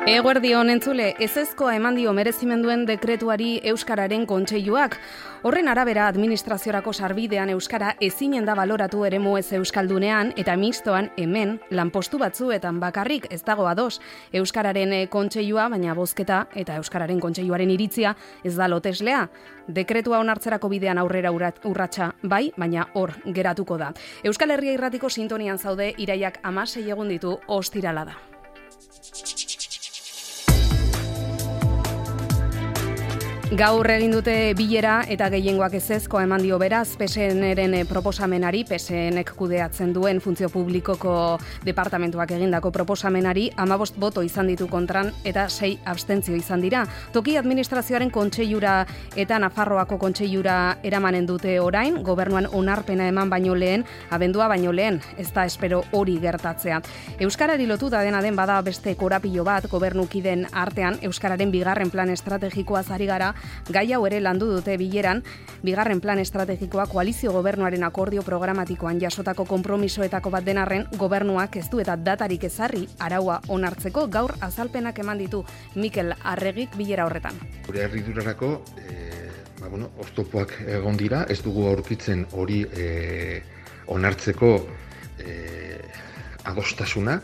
Eguerdion entzule, ezezkoa eman dio merezimenduen dekretuari Euskararen Kontseiluak. Horren arabera administraziorako sarbidean Euskara ezinen da baloratu eremu ez euskaldunean eta mixtoan hemen lanpostu batzuetan bakarrik ez dago ados Euskararen Kontseilua, baina bozketa eta Euskararen Kontseiluaren iritzia ez da loteslea. Dekretua onartzerako bidean aurrera urratsa bai, baina hor geratuko da. Euskal Herria Irratiko sintonian zaude, iraiak 16 egun ditu, ostirala da. Gaur egin dute bilera eta gehiengoak ezezkoa eman dio beraz PSNren proposamenari, PSNek kudeatzen duen funtzio publikoko departamentuak egindako proposamenari 15 boto izan ditu kontran eta 6 abstentzio izan dira. Toki administrazioaren kontseilura eta Nafarroako kontseilura eramanen dute orain, gobernuan onarpena eman baino lehen, abendua baino lehen, ez da espero hori gertatzea. Euskarari lotuta dena den bada beste korapilo bat gobernukiden artean, Euskararen bigarren plan estrategikoaz ari gara. Gai hau ere landu dute bileran, bigarren plan estrategikoa koalizio gobernuaren akordio programatikoan jasotako konpromisoetako bat denarren, gobernuak ez du eta datarik ezarri araua onartzeko. Gaur azalpenak eman ditu Mikel Arregik bilera horretan. Gure herridurarako oztopoak egon dira, ez dugu aurkitzen hori onartzeko adostasuna.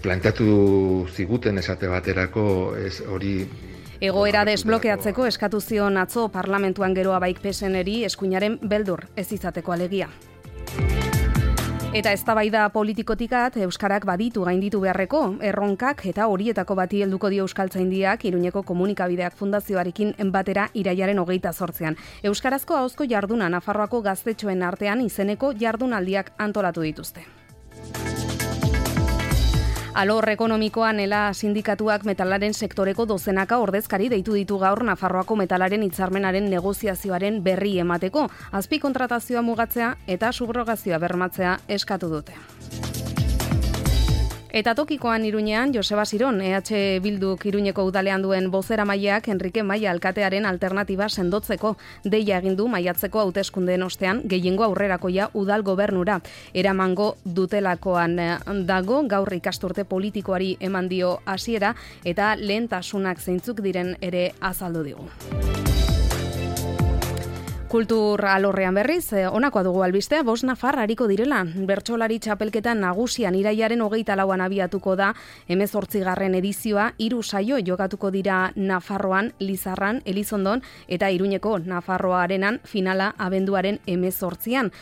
Planteatu ziguten esate baterako hori. Egoera desblokeatzeko eskatu zion atzo parlamentuan geroa baik PSNeri eskuinaren beldur ez izateko alegia. Eta eztabaida politikotikat Euskarak baditu gainditu beharreko erronkak eta horietako bati helduko dio Euskaltzaindiak Iruñeko Komunikabideak Fundazioarekin batera irailaren 28an. Euskarazko ahozko jarduna Nafarroako gaztetxoen artean izeneko jardunaldiak antolatu dituzte. Alor ekonomikoan ela sindikatuak metalaren sektoreko dozenaka ordezkari deitu ditu gaur Nafarroako metalaren hitzarmenaren negoziazioaren berri emateko, azpikontratazioa mugatzea eta subrogazioa bermatzea eskatu dute. Eta tokikoan Iruñean, Joseba Siron, EH Bilduk Iruñeko udalean duen bozeramaileak Enrique Maia alkatearen alternatiba sendotzeko deia egin du maiatzeko hauteskundeen ostean gehiengo aurrerakoia udal gobernura. Eramango dutelakoan dago gaur ikasturte politikoari eman dio hasiera eta lehentasunak zeintzuk diren ere azaldu digu. Kultur alorrean berriz, honakoa dugu albistea, 5 nafar ariko direla. Bertsolari txapelketa nagusian irailaren 24an abiatuko da 18. edizioa, 3 saio jokatuko dira Nafarroan, Lizarran, Elizondon eta Iruñeko Nafarroa Arenan finala abenduaren 18an.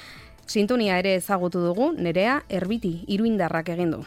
Sintonia ere ezagutu dugu, Nerea Erbiti, Iruindarrak egin du.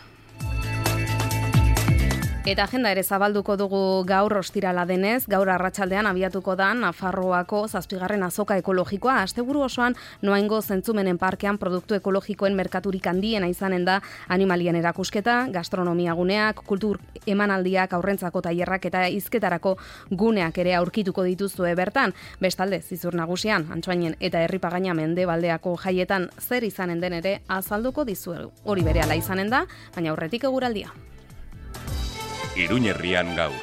Eta agenda ere zabalduko dugu gaur ostirala denez, gaur arratsaldean abiatuko da Nafarroako 7. azoka ekologikoa. Asteburu osoan Noaingo Zentzumenen parkean produktu ekologikoen merkaturik handiena izanen da animalien erakusketa, gastronomia guneak, kultur emanaldiak, aurrentzako tailerrak eta hizketarako guneak ere aurkituko dituzue bertan. Bestalde, Zizur Nagusian, Antsoainen eta Herripagaina Mendebaldeako jaietan zer izanen den ere azalduko dizuegu. Hori berehala izanen da, baina aurretik eguraldia. Iruñerrian gaur.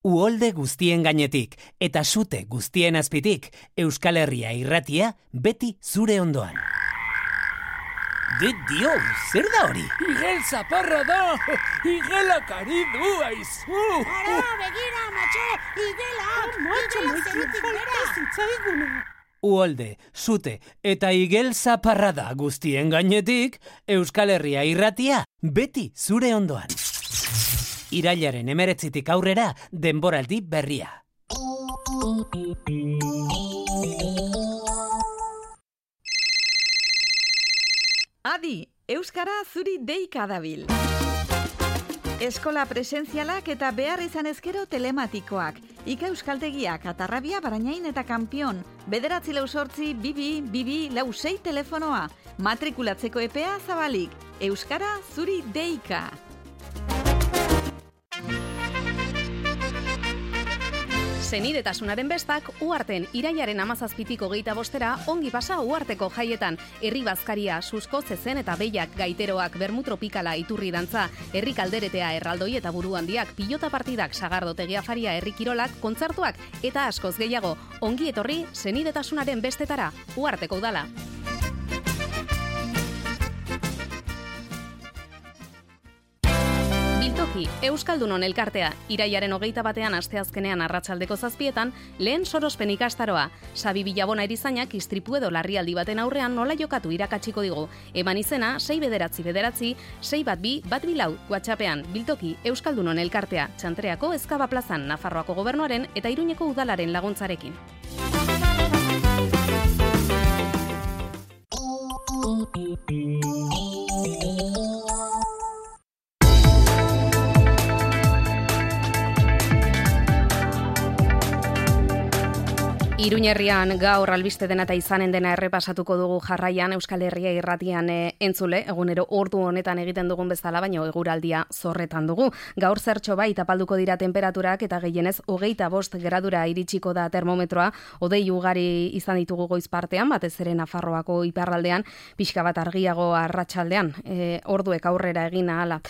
Uholde guztien gainetik eta sute guztien azpitik, Euskal Herria Irratia beti zure ondoan. Dio, zer da hori? Igel zaparra da! Igelak ari du, aizu! Ara, begira, matxo! Igela zerutik bera! Uholde, sute eta igel zaparrada guztien gainetik, Euskal Herria Irratia beti zure ondoan. Irailaren 19tik aurrera denboraldi berria. Adi, Euskara zuri deika dabil. Eskola presentzialak eta behar izan ezkero telematikoak. Ika Euskaltegiak, Atarrabia, Barainain eta Kanpion. 948 22 26 telefonoa. Matrikulatzeko epea zabalik. Euskara zuri deika. Senidetasunaren bestak Uharten irailaren 17tik 25 ongi pasa Uharteko jaietan. Herri bazkaria, susko, zezen eta behiak, gaiteroak, bermutropikala, iturri dantza, herri kalderetea, erraldoi eta buru handiak, pilota partidak, sagardotegia faria, herri kirolak, kontzertuak eta askoz gehiago. Ongi etorri Senidetasunaren bestetara, Uharteko udala. Biltoki, Euskaldunon elkartea, irailaren 21 asteazkenean arratsaldeko 7etan, lehen sorospen ikastaroa. Xabi Bilabona erizainak istripu edo larrialdi baten aurrean nola jokatu irakatsiko digu. Eman izena 6 6 1 WhatsAppean. Biltoki, Euskaldunon elkartea, Txantreako Ezkaba plazan, Nafarroako gobernuaren eta Iruñeko udalaren laguntzarekin. Iruñerrian gaur albiste dena eta izanen dena errepasatuko dugu jarraian Euskal Herria irratian entzule, egunero ordu honetan egiten dugun bezala, baina eguraldia zorretan dugu. Gaur zertxo bai tapalduko dira temperaturak eta gehienez 25 gradura iritsiko da termometroa, hodei ugari izan ditugu goiz partean, batez ere Nafarroako iparraldean, pixka bat argiago arratsaldean, orduek aurrera egin ala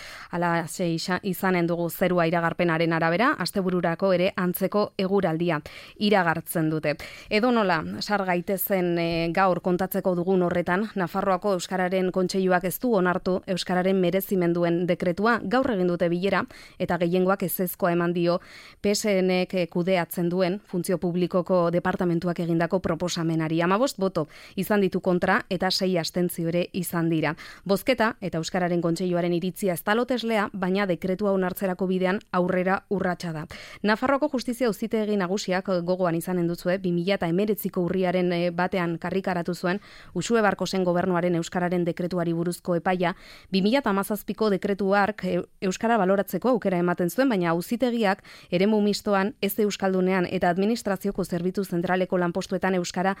izanen dugu zerua iragarpenaren arabera, astebururako ere antzeko eguraldia iragartzen dute. Edo nola, sar gaitezen gaur kontatzeko dugun horretan, Nafarroako Euskararen Kontseiluak ez du onartu Euskararen merezimenduen dekretua, gaur egin dute bilera, eta gehiengoak ezezkoa eman dio PSNek kudeatzen duen funtzio publikoko departamentuak egindako proposamenari. 15 boto izan ditu kontra eta 6 abstentzio ere izan dira. Bozketa eta Euskararen Kontseiluaren iritzia ez da loteslea, baina dekretua onartzerako bidean aurrera urratsa da. Nafarroako Justizia Auzitegi Nagusiak gogoan izanen duzue 2019ko urriaren batean karrikaratu zuen Uxue Barkosen gobernuaren Euskararen dekretuari buruzko epaia, 2017ko dekretu hark Euskara baloratzeko aukera ematen zuen, baina auzitegiak eremu mistoan ez euskaldunean eta administrazioko zerbitzu zentraleko lanpostuetan Euskara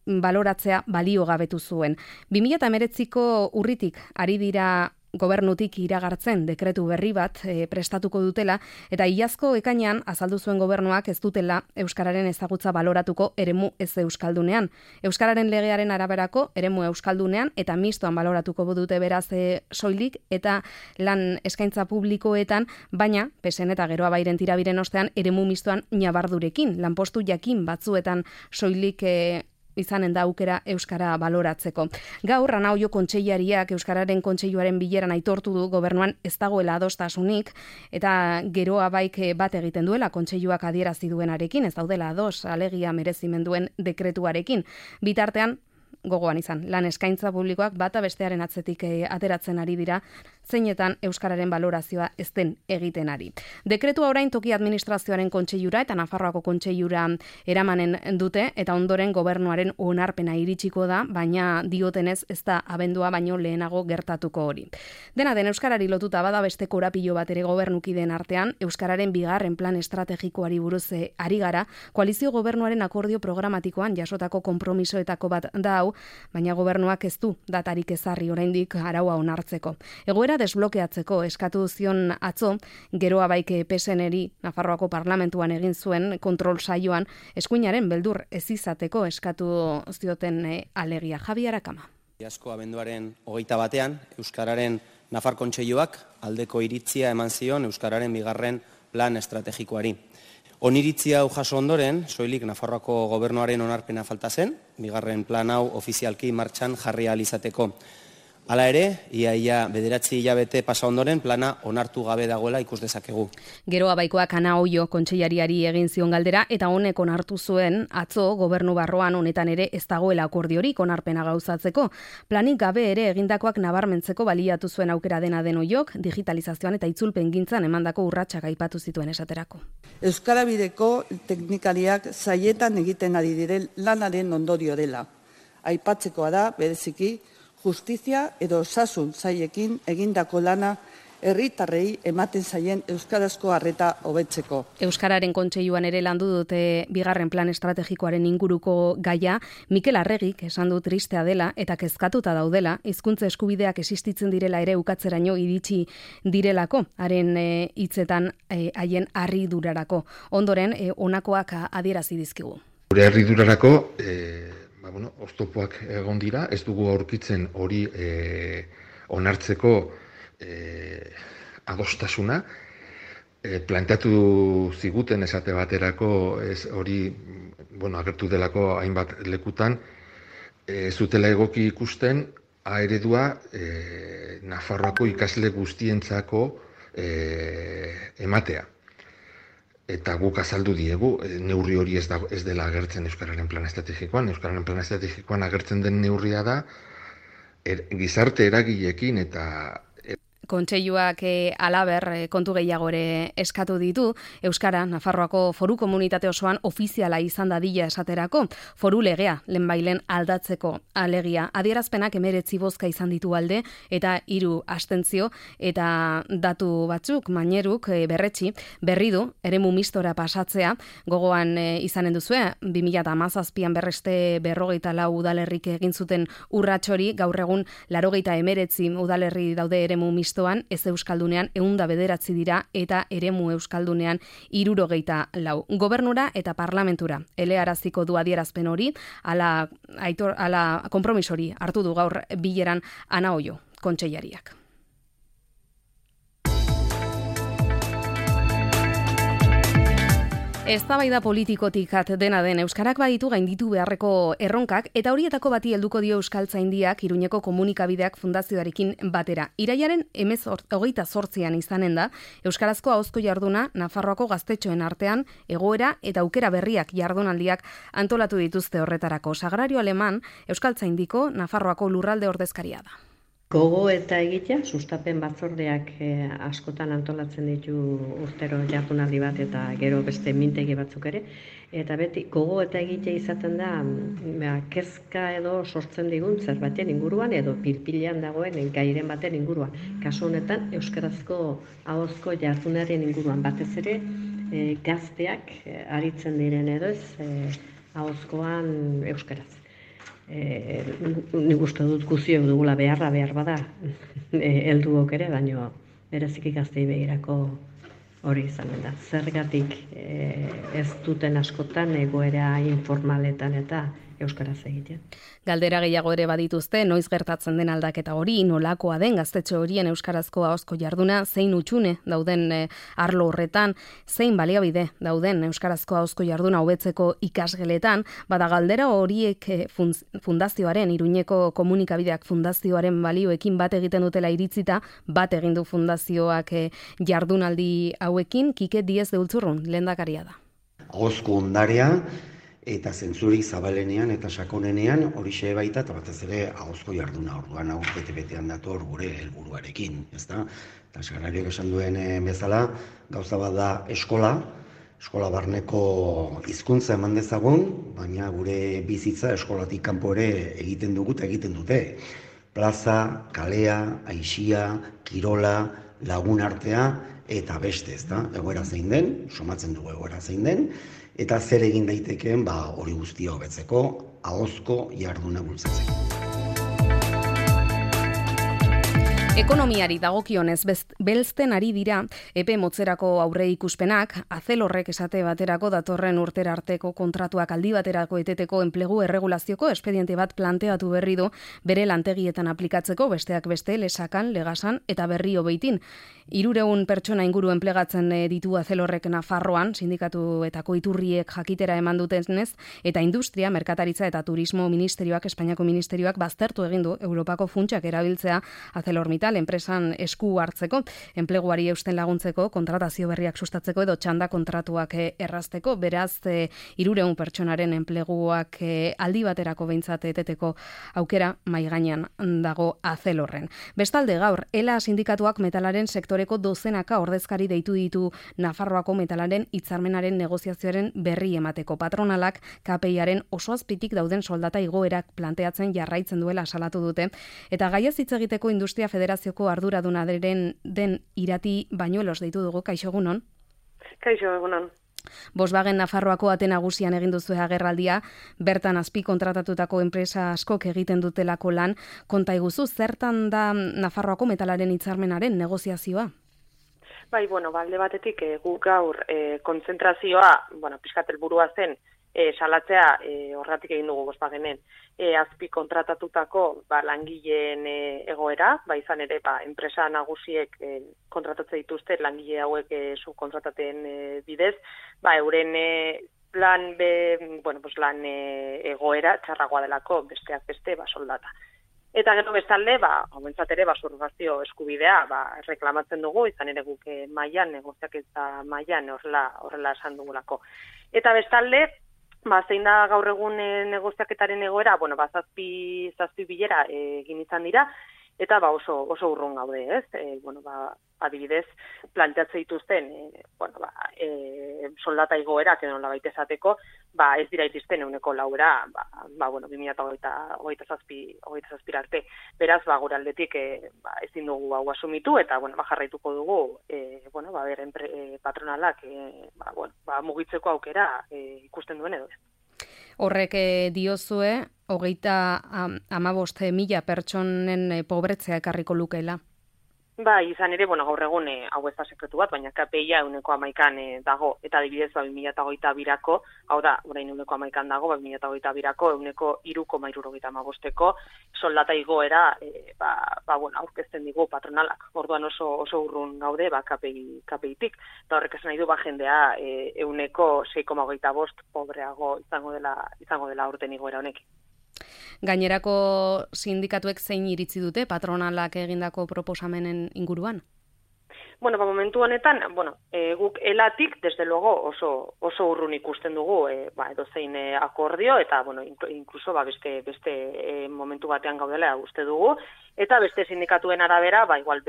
baloratzea baliogabetu zuen. 2019ko urritik ari dira gobernutik iragartzen dekretu berri bat prestatuko dutela, eta iazko ekainean azaldu zuen gobernuak ez dutela Euskararen ezagutza baloratuko eremu ez euskaldunean. Euskararen legearen araberako eremu euskaldunean eta mistoan baloratuko dute beraz soilik eta lan eskaintza publikoetan, baina PSN eta Geroa Bairen tirabiren ostean eremu mistoan nabardurekin, lanpostu jakin batzuetan soilik izanen da aukera Euskara baloratzeko. Gaur, Ana Oio kontseilariak Euskararen Kontseiluaren bileran aitortu du gobernuan ez dagoela adostasunik, eta Geroa Baik bat egiten duela Kontseiluak adierazi duenarekin, ez daudela ados alegia merezimenduen dekretuarekin. Bitartean, gogoan izan, lan eskaintza publikoak bata bestearen atzetik ateratzen ari dira, zeinetan Euskararen balorazioa ez den egiten ari. Dekretua orain toki administrazioaren kontseilura eta Nafarroako kontseilura eramanen dute, eta ondoren gobernuaren onarpena iritsiko da, baina diotenez ez da abendua baino lehenago gertatuko hori. Dena den Euskarari lotuta bada beste korapilo bat ere gobernukideen artean, Euskararen bigarren plan estrategikoari buruz ari gara, koalizio gobernuaren akordio programatikoan jasotako konpromisoetako bat da hau, baina gobernuak ez du datarik ezarri oraindik araua onartzeko. Egoera desblokeatzeko eskatu zion atzo, Geroa Baik PSNeri Nafarroako parlamentuan egin zuen kontrol saioan eskuinaren beldur ez izateko eskatu zioten alegia. Javi Arakama. Iazko abenduaren 21ean Euskararen Nafar Kontseiluak aldeko iritzia eman zion Euskararen bigarren plan estrategikoari. Oniritzia hau jaso ondoren, soilik Nafarroako gobernuaren onarpena falta zen, bigarren plan hau ofizialki martxan jarri ahal izateko. Hala ere, ia 9 hilabete pasa ondoren plana onartu gabe dagoela ikus dezakegu. Geroa Baikoak Ana Oio kontseilariari egin zion galdera, eta honek onartu zuen atzo gobernu barroan honetan ere ez dagoela akordiorik onarpena gauzatzeko. Planik gabe ere egindakoak nabarmentzeko baliatu zuen aukera dena den Oiok, digitalizazioan eta itzulpengintzan emandako urratsak aipatu zituen esaterako. Euskara bideko teknikariak saietan egiten ari diren lanaren ondorio dela. Aipatzekoa da, bereziki, justizia edo osasun saiekin egindako lana herritarrei ematen zaien euskarazko arreta hobetzeko. Euskararen Kontseiluan ere landu dute bigarren plan estrategikoaren inguruko gaia. Mikel Arregik esan du tristea dela eta kezkatuta daudela, hizkuntza eskubideak existitzen direla ere ukatzeraino iritsi direlako, haren hitzetan haien harridurarako. Ondoren, honakoak adierazi dizkigu. Gure harridurarako oztopoak egon dira, ez dugu aurkitzen hori onartzeko adostasuna. Planteatu ziguten esate baterako hori agertu delako hainbat lekutan, zutela egoki ikusten A eredua Nafarroako ikasle guztientzako ematea. Eta guk azaldu diegu, neurri hori ez dela agertzen Euskararen plan estrategikoan. Euskararen plan estrategikoan agertzen den neurria da, gizarte eragileekin eta Kontseiluak halaber kontu gehiago ere eskatu ditu, Euskara Nafarroako foru komunitate osoan ofiziala izan dadila esaterako, foru legea lehenbailen aldatzeko alegia. Adierazpenak 19 bozka izan ditu alde eta 3 abstentzio eta datu batzuk Maineruk berri du eremu mistora pasatzea, gogoan izanen duzue 2017an berreste 44 udalerrik egin zuten urrats hori, gaur egun 89 udalerri daude eremu mistoan, ez euskaldunean 109 dira eta eremu euskaldunean 74. Gobernura eta parlamentura elearaziko du adierazpen hori, ala konpromiso hori hartu du gaur bileran Ana Oio kontseilariak. Eztabaida politikotik dena den Euskarak baditu gainditu beharreko erronkak eta horietako bati helduko dio Euskaltzaindiak Iruñeko komunikabideak fundazioarekin batera. Irailaren 28an izanen da Euskarazko ahozko jarduna Nafarroako gaztetxoen artean egoera eta aukera berriak jardunaldiak antolatu dituzte horretarako. Sagrario Aleman Euskaltzaindiko Nafarroako lurralde ordezkaria da. Gogo eta egitea, sustapen batzordeak askotan antolatzen ditu urtero jardunaldi bat eta gero beste mintegi batzuk ere. Eta beti gogo eta egitea izaten da kezka edo sortzen digun zerbaiten inguruan edo pilpilean dagoen gairen baten inguruan. Kasu honetan euskarazko ahozko jardunaren inguruan batez ere gazteak aritzen diren edo ez ahozkoan euskaraz. Nik uste dut guztiok dugula behar bada helduok ere, baina bereziki gaztei begirako hori izanen da. Zergatik ez duten askotan egoera informaletan eta euskaraz egiten. Galdera gehiago ere badituzte, noiz gertatzen den aldaketa hori, nolakoa den gaztetxo horien euskarazko ahozko jarduna, zein utxune dauden arlo horretan, zein baliabide dauden euskarazko ahozko jarduna hobetzeko ikasgeletan, bada galdera horiek fundazioaren, Iruñeko komunikabideak fundazioaren balioekin bat egiten dutela iritzita, bat egin du fundazioak jardunaldi hauekin, Kike Diez de Ultzurrun, lehendakaria da. Ahozko ondarea, eta zentzurik zabalenean eta sakonenean horixe baita eta batez ere ahozko jarduna orduan hau bete-betean dator gure helburuarekin, ezta? Eta Sagrariok esan duen bezala, gauza bat da eskola barneko hizkuntza eman dezagun, baina gure bizitza eskolatik kanpo ere egiten dugu eta egiten dute. Plaza, kalea, aisia, kirola, lagun artea eta beste, ezta? Egoera zein den, somatzen dugu egoera zein den, eta zer egin daitekeen hori guztia hobetzeko, ahozko jarduna bultzatzeko. Ekonomiari dagokionez belzten ari dira epe motzerako aurre ikuspenak, Azelorrek esate baterako datorren urtera arteko kontratuak aldi baterako eteteko enplegu erregulazioko espediente bat planteatu berri du bere lantegietan aplikatzeko, besteak beste Lesakan, Legasan eta Berrio Beitin. 300 pertsona inguru enplegatzen ditu Azelorrek Nafarroan, sindikatuetako iturriek jakitera eman dutenez, eta industria, merkataritza eta turismo ministerioak, Espainiako ministerioak baztertu egin du Europako funtsak erabiltzea ArcelorMittal enpresan esku hartzeko, enpleguari eusten laguntzeko, kontratazio berriak sustatzeko edo txanda kontratuak errazteko, beraz 300 pertsonaren enpleguak aldi baterako behintzat eteteko aukera mahai gainean dago Azelorren. Bestalde gaur, ELA sindikatuak metalaren sektoreko dozenaka ordezkari deitu ditu Nafarroako metalaren hitzarmenaren negoziazioaren berri emateko. Patronalak KPIaren oso azpitik dauden soldata igoerak planteatzen jarraitzen duela salatu dute, eta gaiaz hitz egiteko Industria Federazioko arduraduna den Irati Bañuelos deitu dugu. Kaixo egunon? Kaixo egunon. Volkswagen Nafarroako ate nagusian egin duzu agerraldia, bertan azpi kontratatutako enpresa askok egiten dutelako lan, konta iguzu, zertan da Nafarroako metalaren hitzarmenaren negoziazioa? Bai, alde batetik guk gaur kontzentrazioa, pixkat helburua zen, salatzea horregatik egin dugu Volkswagenen azpi kontratatutako langileen egoera, izan ere enpresa nagusiek kontratatze dituzte langile hauek subkontrataten bidez, euren lan egoera txarragoa delako besteak beste soldata. Eta gero bestalde, hauentzat ere, subrogazio eskubidea, reklamatzen dugu, izan ere guk mailan, negoziaketa mailan horrela esan dugulako. Eta bestalde, zein da gaur egun negoziaketaren egoera, zazpi bilera egin izan dira, eta oso urrun gaude, ez? Adibidez, planteatzen dituzten, soldata igoerak edo nolabait esateko, ez dira iristen 4%, 2027 arte. Beraz, gure aldetik ezin dugu hau asumitu eta jarraituko dugu patronalak mugitzeko aukera ikusten duen edo ez. Horrek diozue, 35.000 pertsonen pobretzea ekarriko lukeela. Izan ere, gaur egun hau ez da sekretu bat, baina KPI-a 11% dago, eta adibidez 2022-ako, hau da, orain 11% dago, 2022-ako 3,75%ko soldata igoera aurkezten digu patronalak. Orduan oso urrun gaude KPI-tik, eta horrek esan nahi du jendea 6,25% pobreago izango dela urten igoera honekin. Gainerako sindikatuek zein iritzi dute patronalak egindako proposamenen inguruan? Momentu honetan, guk elatik, desde luego, oso urrun ikusten dugu edozein akordio, eta, inkluso beste momentu batean gaudela uste dugu, eta beste sindikatuen arabera, igual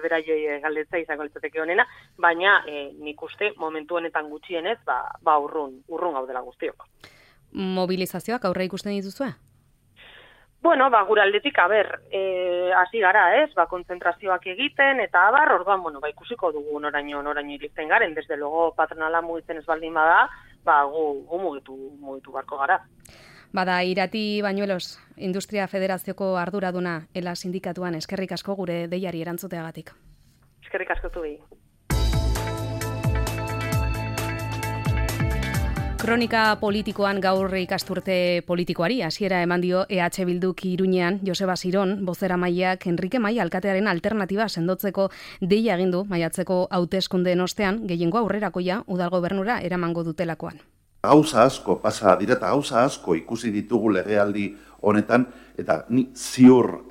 bera galdetza izango litzateke honena, baina nik uste momentu honetan gutxienez, urrun gaudela guztiok. Mobilizazioak aurre ikusten dituzue? Gure aldetik, hasi gara, ez? Kontzentrazioak egiten, eta orduan, ikusiko dugu noraino iristen garen, desde luego patronala mugitzen ez baldin bada, gu mugitu barko gara. Bada, Irati Bañuelos, Industria Federazioko arduraduna, ELA sindikatuan, eskerrik asko gure deiari erantzuteagatik. Eskerrik asko zuei. Kronika politikoan gaur ikasturte politikoari hasiera eman dio EH Bilduk Iruñean. Joseba Siron, bozeramaileak Enrique Mai alkatearen alternatiba sendotzeko deia egin du maiatzeko hauteskundeen ostean, gehiengo aurrerakoia udal gobernura eramango dutelakoan. Gauza asko pasa direta, gauza asko ikusi ditugu legealdi honetan, eta ni ziur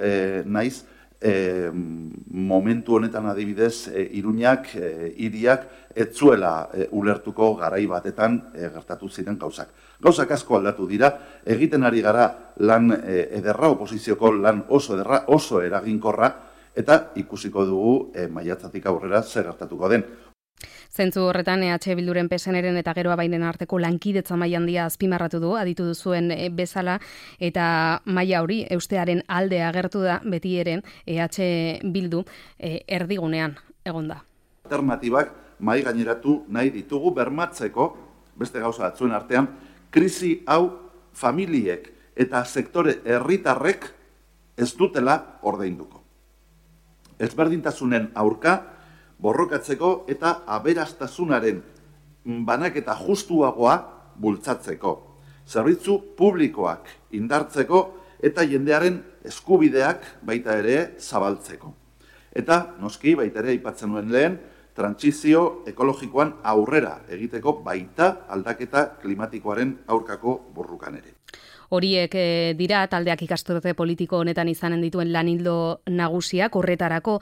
naiz momentu honetan adibidez Iruñak, hiriak ez zuela ulertuko garai batetan gertatu ziren gauzak. Gauzak asko aldatu dira, egiten ari gara lan ederra, oposizioko lan oso ederra, oso eraginkorra, eta ikusiko dugu maiatzatik aurrera zer gertatuko den. Zentzu horretan EH Bilduren PSNren eta Geroa Bainen arteko lankidetza maila handia azpimarratu du, aditu duzuen bezala, eta maila hori eustearen alde agertu da beti ere EH Bildu erdigunean egonda. Alternatibak mai gaineratu nahi ditugu bermatzeko, beste gauza batzuen artean, krisi hau familiek eta sektore herritarrek ez dutela ordainduko. Ezberdintasunen aurka borrokatzeko eta aberastasunaren banaketa justuagoa bultzatzeko. Zerbitzu publikoak indartzeko eta jendearen eskubideak baita ere zabaltzeko. Eta, noski, baita ere aipatzen nuen lehen, trantsizio ekologikoan aurrera egiteko baita aldaketa klimatikoaren aurkako borrukan ere. Horiek dira taldeak ikasturte politiko honetan izanen dituen lanildo nagusiak, horretarako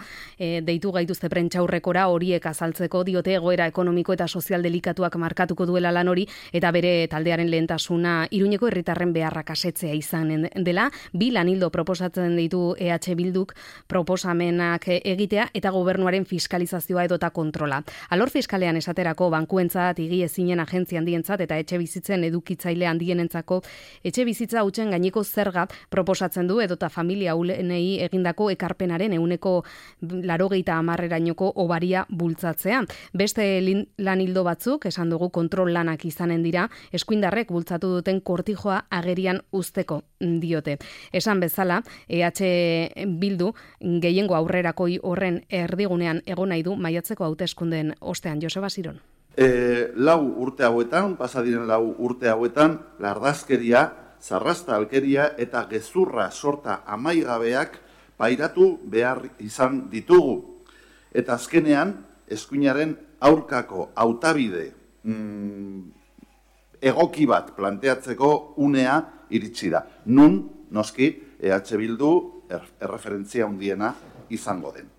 deitu gaituzte prentsaurrekora horiek azaltzeko, diote egoera ekonomiko eta sozial delikatuak markatuko duela lan hori, eta bere taldearen lehentasuna Iruñeko herritarren beharrak asetzea izanen dela. 2 lanildo proposatzen ditu EH Bilduk proposamenak egitea eta gobernuaren fiskalizazioa edota kontrola. Alor fiskalean esaterako bankuentzat, higiezinen agentzia handientzat eta etxe bizitzen edukitzaile handienentzako etxe bizitza hutsen gaineko zerga proposatzen du edota familia ahulenei egindako ekarpenaren 80%erainoko obaria bultzatzea. Beste lanildo batzuk, esan dugu kontrol lanak izanen dira, eskuindarrek bultzatu duten kortijoa agerian uzteko diote. Esan bezala, EH Bildu gehiengo aurrerakoi horren erdigunean egon nahi du maiatzeko hauteskundeen ostean. Joseba Siron. 4 urte hauetan, pasadiren 4 urte hauetan, lardazkeria, zarrasta alkeria eta gezurra sorta amaigabeak pairatu behar izan ditugu. Eta azkenean, eskuinaren aurkako hautabide egoki bat planteatzeko unea iritsi da. Nun, noski, EH Bildu erreferentzia handiena izango den.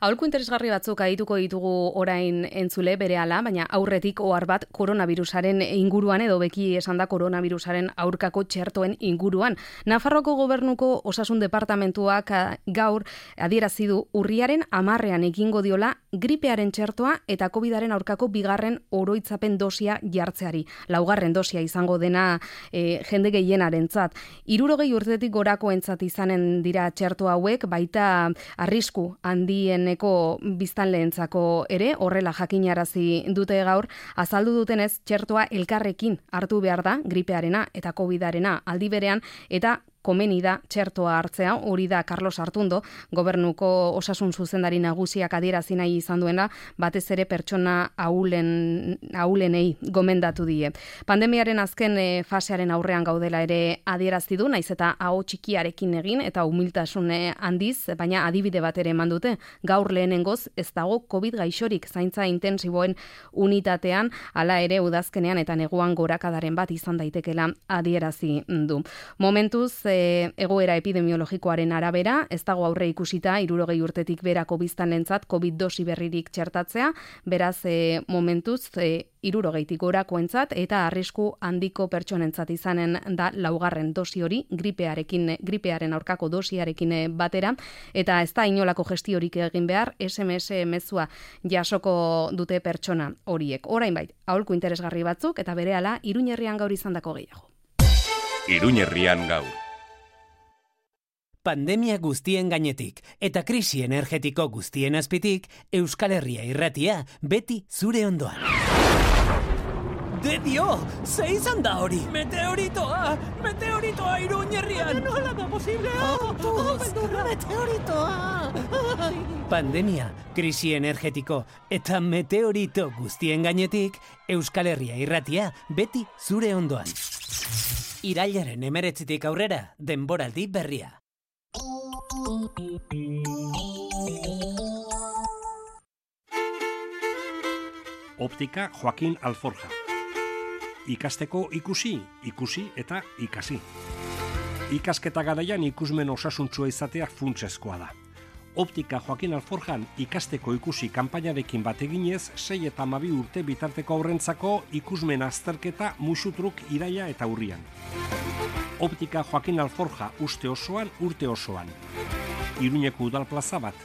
Aholku interesgarri batzuk adituko ditugu orain entzule berehala, baina aurretik ohar bat koronavirusaren inguruan edo beki esan da koronavirusaren aurkako txertoen inguruan. Nafarroako gobernuko osasun departamentuak gaur adierazi du urriaren 10ean egingo diola gripearen txertoa eta COVIDaren aurkako bigarren oroitzapen dosia jartzeari. Laugarren dosia izango dena jende gehienarentzat. 60 urtetik gorakoentzat izanen dira txerto hauek, baita arrisku handieneko biztanleentzako ere, horrela jakinarazi dute gaur, azaldu dutenez txertoa elkarrekin hartu behar da gripearena eta COVIDarena aldi berean eta komeni da txertoa hartzea, hori da Carlos Artundo, gobernuko osasun zuzendari nagusiak adierazi nahi izan duena, batez ere pertsona ahulenei gomendatu die. Pandemiaren azken fasearen aurrean gaudela ere adierazi du, naiz eta aho txikiarekin egin eta humiltasun handiz, baina adibide bat ere eman dute. Gaur lehenengoz ez dago COVID gaixorik zaintza intensiboen unitatean, hala ere udazkenean eta neguan gorakadaren bat izan daitekela adierazi du. Momentuz egoera epidemiologikoaren arabera, ez dago aurre ikusita 60 urtetik berako biztanlentzat COVID dosi berririk txertatzea, beraz momentuz 60tik gorakoentzat eta arrisku handiko pertsonentzat izanen da laugarren dosi hori gripearen aurkako dosiarekin batera, eta ez da inolako gestiorik egin behar, SMS mezua jasoko dute pertsona horiek. Orain bait, aholku interesgarri batzuk eta berehala Iruñerrian gaur izandako gehiago. Iruñerrian gaur. Pandemia guztien gainetik eta krisi energetiko guztien azpitik, Euskal Herria irratia beti zure ondoan. ¡De Dio! ¡Se izan da hori! ¡Meteoritoa! ¡Meteoritoa Iruñerrian! ¡Nola da posible! ¡Meteoritoa! Pandemia, krisi energetiko eta meteorito guztien gainetik, Euskal Herria irratia beti zure ondoan. Irailaren 19tik aurrera, denboraldi berria. Optika Joaquin Alforja. Ikasteko ikusi eta ikasi. Ikasketa garaian ikusmen osasuntsua izatea funtsezkoa da. Optika Joaquin Alforjan ikasteko ikusi kanpainarekin bat eginez 6 eta 12 urte bitarteko aurrentzako ikusmen azterketa musutruk iraila eta urrian. Optika Joaquin Alforja uste osoan, urte osoan. Iruñeko udal plaza bat.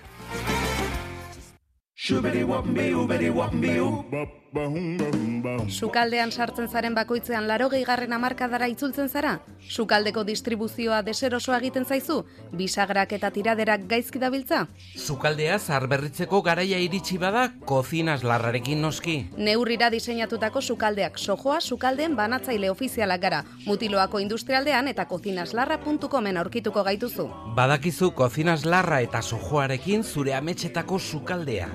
Sukaldean sartzen zaren bakoitzean 80. hamarkadara itzultzen zara? Sukaldeko distribuzioa deserosoa egiten zaizu? Bisagrak eta tiraderak gaizki dabiltza? Sukaldea zaharberritzeko garaia iritsi bada, kozinas larrarekin noski. Neurrira diseinatutako sukaldeak Sojoa sukaldeen banatzaile ofizialak gara. Mutiloako industrialdean eta kozinaslarra.comen aurkituko gaituzu. Badakizu kozinaslarra eta Sojoarekin zure ametsetako sukaldea.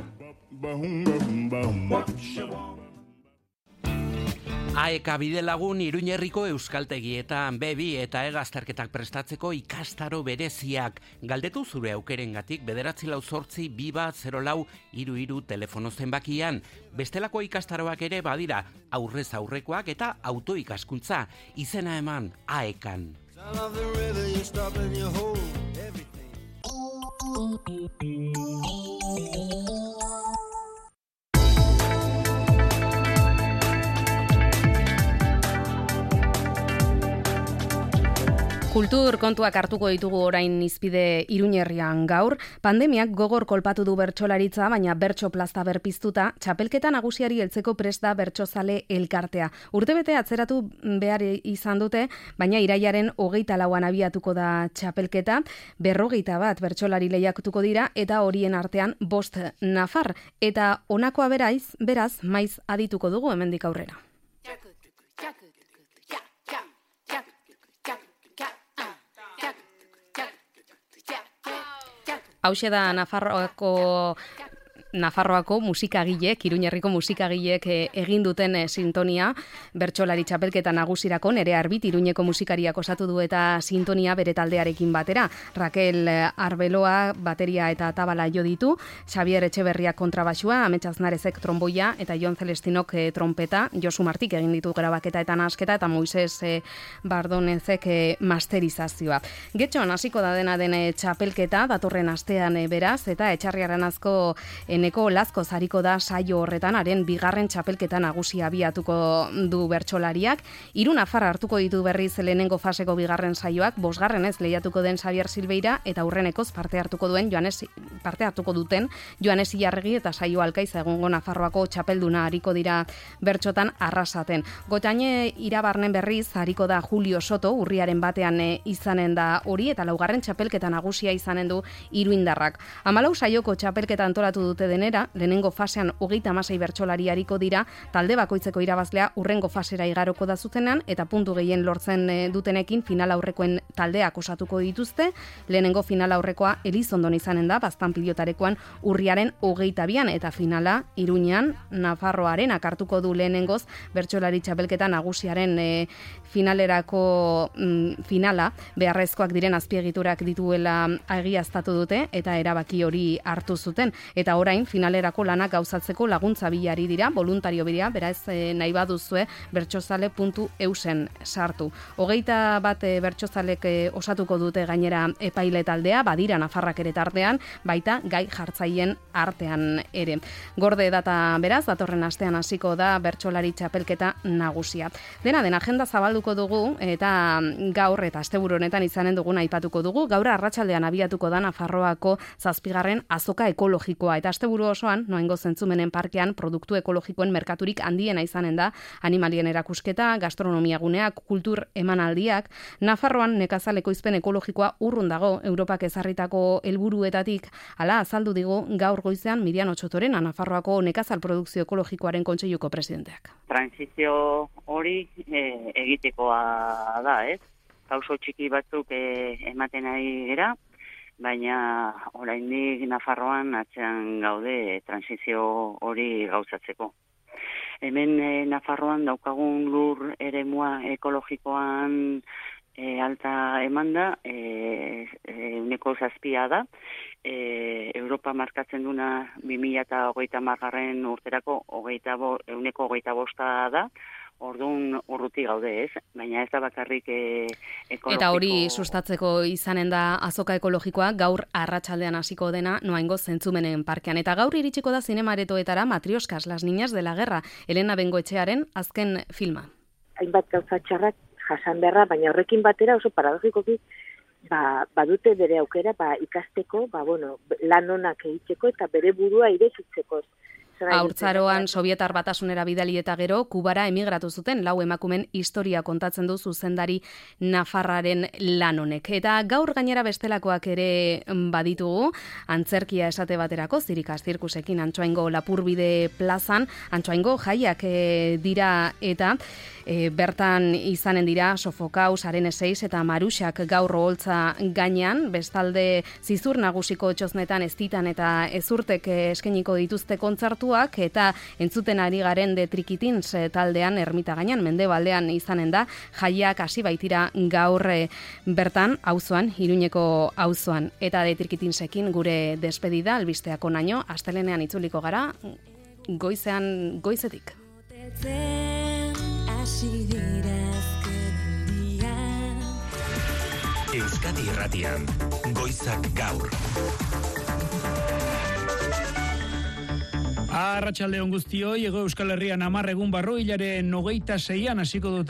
AEK Bidelagun Iruñerriko euskaltegietan bebi eta egazterketak prestatzeko ikastaro bereziak. Galdetu zure aukerengatik 948-2 telefono zenbakian. Bestelako ikastaroak ere badira, aurrez aurrekoak eta autoikaskuntza. Izena eman AEKan. Kultur kontuak hartuko ditugu orain izpide Iruñerrian gaur. Pandemiak gogor kolpatu du bertsolaritza, baina bertso plazta berpiztuta, txapelketa nagusiari heltzeko prest da bertsozale elkartea. Urtebete atzeratu behar izan dute, baina irailaren 24an abiatuko da txapelketa, 41 bertsolari lehiatuko dira eta horien artean 5 nafar. Eta honakoa beraz maiz adituko dugu hemendik aurrera. Hauxe da Nafarroako musikagileek, Iruñerriko musikagileek egin duten sintonia, bertsolari txapelketa nagusirako Nerea Arbit Iruñeko musikariak osatu du eta sintonia bere taldearekin batera. Raquel Arbeloa bateria eta tabala jo ditu, Xavier Etxeberriak kontrabaxua, Amets Aznarezek tromboia eta Jon Celestinok trompeta, Josu Martik egin ditu grabaketa eta nahasketa eta Moises Bardonezek masterizazioa. Getxoan hasiko da dena den txapelketa datorren astean beraz eta Etxarriaren azko Eneko Lazko zariko da saio horretan haren bigarren txapelketa nagusia abiatuko du bertsolariak. 3 nafar hartuko ditu berriz lehenengo faseko bigarren saioak, 5. lehiatuko den Xavier Silveira eta aurrenekoz parte hartuko duten Joanes Ilarregi eta Saio Alkaiza egungo Nafarroako txapelduna hariko dira bertxotan arrasaten. Gotaine irabarnen berriz hariko da Julio Soto, urriaren batean izanen da hori eta 4. txapelketa nagusia izanen du Iruindarrak. 14 saioko txapelketa antolatu dute denera, lehenengo fasean 36 bertsolari hariko dira, talde bakoitzeko irabazlea urrengo fasera igaroko da zuzenean eta puntu gehien lortzen dutenekin final aurrekoen taldeak osatuko dituzte. Lehenengo final aurrekoa Elizondon izanen da, Baztan pilotarekoan urriaren 22an eta finala Iruñean Nafarroaren akartuko du lehenengoz bertsolari txapelketa nagusiaren finalerako finala beharrezkoak diren azpiegiturak dituela egiaztatu dute eta erabaki hori hartu zuten. Eta orain finalerako lanak gauzatzeko laguntza bilari dira, voluntario bidea, beraz nahi baduzue bertsozale.eusen sartu. 21 bertsozalek osatuko dute gainera epaile taldea, badira Nafarrak ere tartean, baita gai jartzaileen artean ere. Gorde data beraz, datorren astean hasiko da bertsolari txapelketa nagusia. Dena den agenda zabalduko dugu eta gaur eta asteburu honetan izanen dugun aipatuko dugu. Gaur arratsaldean abiatuko da Nafarroako 7. azoka ekologikoa eta asteburu osoan Noaingo Zentzumenen parkean produktu ekologikoen merkaturik handiena izanen da, animalien erakusketa, gastronomia guneak, kultur emanaldiak. Nafarroan nekazal ekoizpen ekologikoa urrun dago Europak ezarritako helburuetatik, hala azaldu digu gaur goizean Mirian Otsotorena, Nafarroako nekazal produkzio ekologikoaren kontseiluko presidenteak. Transizio hori egitekoa da, ez? Pauso txiki batzuk ematen ari gara, baina oraindik Nafarroan atzean gaude transizio hori gauzatzeko. Hemen Nafarroan daukagun lur eremua ekologikoan alta emanda, 7% da, Europa markatzen duna 2030 urterako 25% da, orduan urruti gaude ez, baina ez da bakarrik ekologiko. Eta hori sustatzeko izanen da azoka ekologikoa gaur arratsaldean hasiko dena Noaingo Zentzumenen parkean. Eta gaur iritsiko da zinema-aretoetara Matrioskas, las niñas de la guerra, Elena Bengoetxearen azken filma. Hainbat gauza txarrak jasan beharra, baina horrekin batera oso paradogikoki badute bere aukera ikasteko, lan onak egiteko eta bere burua irekitzeko. Haurtzaroan Sobietar Batasunera bidali eta gero Kubara emigratu zuten 4 emakumen historia kontatzen du zuzendari nafarraren lan honek. Eta gaur gainera bestelakoak ere baditugu, antzerkia esate baterako, Zirikaz zirkusekin Antsoaingo Lapurbide plazan, Antsoaingo jaiak dira eta bertan izanen dira Sofokaus, Arene 6 eta Maruxak gaur oholtza gainean, bestalde Zizur Nagusiko txoznetan Eztitan eta Ezurtek eskainiko dituzte kontzertuak eta entzuten ari garen de Trikitins taldean ermita gainean mendebaldean izanen da, jaiak hasi baitira gaur bertan auzoan, Iruñeko auzoan. Eta de Trikitinsekin gure despedida albisteak onaino, astelenean itzuliko gara goizetik. Euskadi Irratian, goizak gaur. Arratsalde on guztioi, Hego Euskal Herrian 10 egun barru, hilaren 26an hasiko dute